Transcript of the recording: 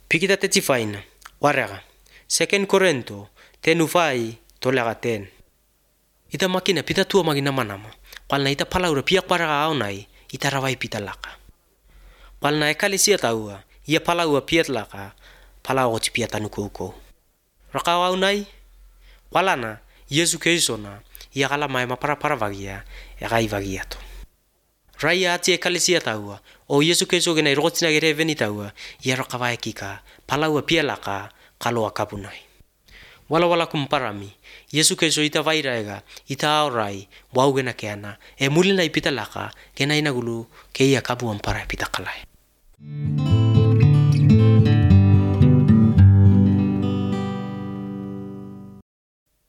Pikita tetifaina, warega. Second Korento, tenufai tolega ten. Ita makina pita tua magina manama. Palna ita palaura piak paraga aunai, ita rawai pita laka. Palna ekalisia taua, ia palaua piat laka, palau oti piat anuko. Rakawa aunai, palana, Yesu Krisona, ia kala mai mapara vagia, egai vagiato. Raya ati ekalisia taua, o Yesu Kristo gena rotina gere veni taua, ia rakawa ekika, palaua pialaka, kaloa kapunai. Wala kumparami, Yesu Kristo ita vairaega, ita aurai, wau gena keana, mulina ipita laka, gena inagulu, keia kabu ampara pita kalai.